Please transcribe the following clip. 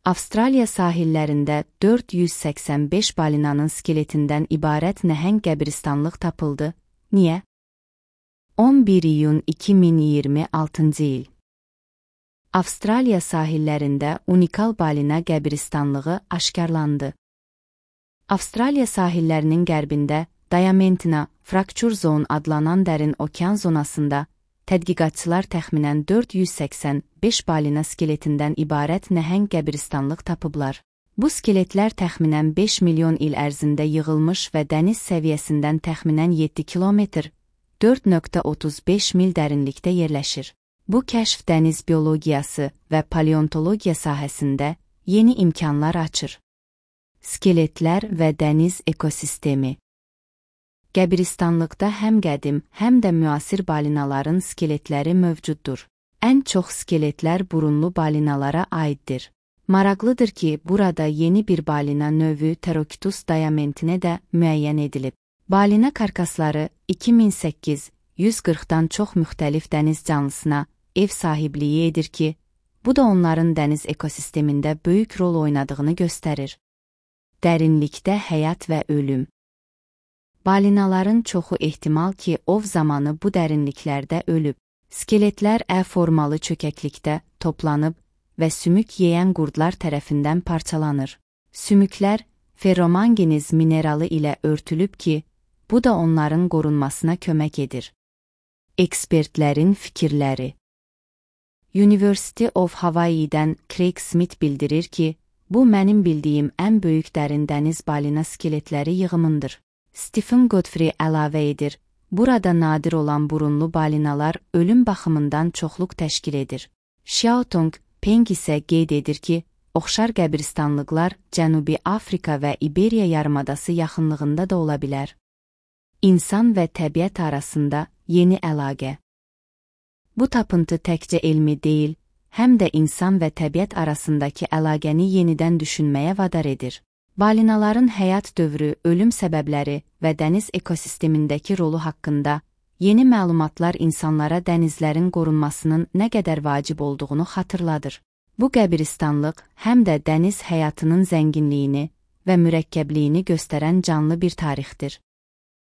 Avstraliya sahillərində 485 balinanın skeletindən ibarət nəhəng qəbristanlıq tapıldı. Niyə? 11 iyun 2026-cı il. Avstraliya sahillərində unikal balina qəbristanlığı aşkarlandı. Avstraliya sahillərinin qərbində Diamantina Fracture Zone adlanan dərin okean zonasında tədqiqatçılar təxminən 485 balina skeletindən ibarət nəhəng qəbristanlıq tapıblar. Bu skeletlər təxminən 5 milyon il ərzində yığılmış və dəniz səviyyəsindən təxminən 7 kilometr, 4,35 mil dərinlikdə yerləşir. Bu kəşf dəniz biologiyası və paleontologiya sahəsində yeni imkanlar açır. Skeletlər və dəniz ekosistemi. Qəbristanlıqda həm qədim, həm də müasir balinaların skeletləri mövcuddur. Ən çox skeletlər burunlu balinalara aiddir. Maraqlıdır ki, burada yeni bir balina növü Pterokytus diamantina də müəyyən edilib. Balina karkasları 2008 140-dan çox müxtəlif dəniz canlısına ev sahibliyi edir ki, bu da onların dəniz ekosistemində böyük rol oynadığını göstərir. Dərinlikdə həyat və ölüm. Balinaların çoxu ehtimal ki, ov zamanı bu dərinliklərdə ölüb. Skeletlər ə-formalı çökəklikdə toplanıb və sümük yeyən qurdlar tərəfindən parçalanır. Sümüklər ferromanganiz mineralı ilə örtülüb ki, bu da onların qorunmasına kömək edir. Ekspertlərin fikirləri. University of Hawaii'dən Craig Smith bildirir ki, bu mənim bildiyim ən böyük dərin dəniz balina skeletləri yığımındır. Stephen Godfrey əlavə edir, burada nadir olan burunlu balinalar ölüm baxımından çoxluq təşkil edir. Xiaotong Peng isə qeyd edir ki, oxşar qəbristanlıqlar Cənubi Afrika və İberiya yarımadası yaxınlığında da ola bilər. İnsan və təbiət arasında yeni əlaqə. Bu tapıntı təkcə elmi deyil, həm də insan və təbiət arasındakı əlaqəni yenidən düşünməyə vadar edir. Balinaların həyat dövrü, ölüm səbəbləri və dəniz ekosistemindəki rolu haqqında yeni məlumatlar insanlara dənizlərin qorunmasının nə qədər vacib olduğunu xatırladır. Bu qəbristanlıq həm də dəniz həyatının zənginliyini və mürəkkəbliyini göstərən canlı bir tarixdir.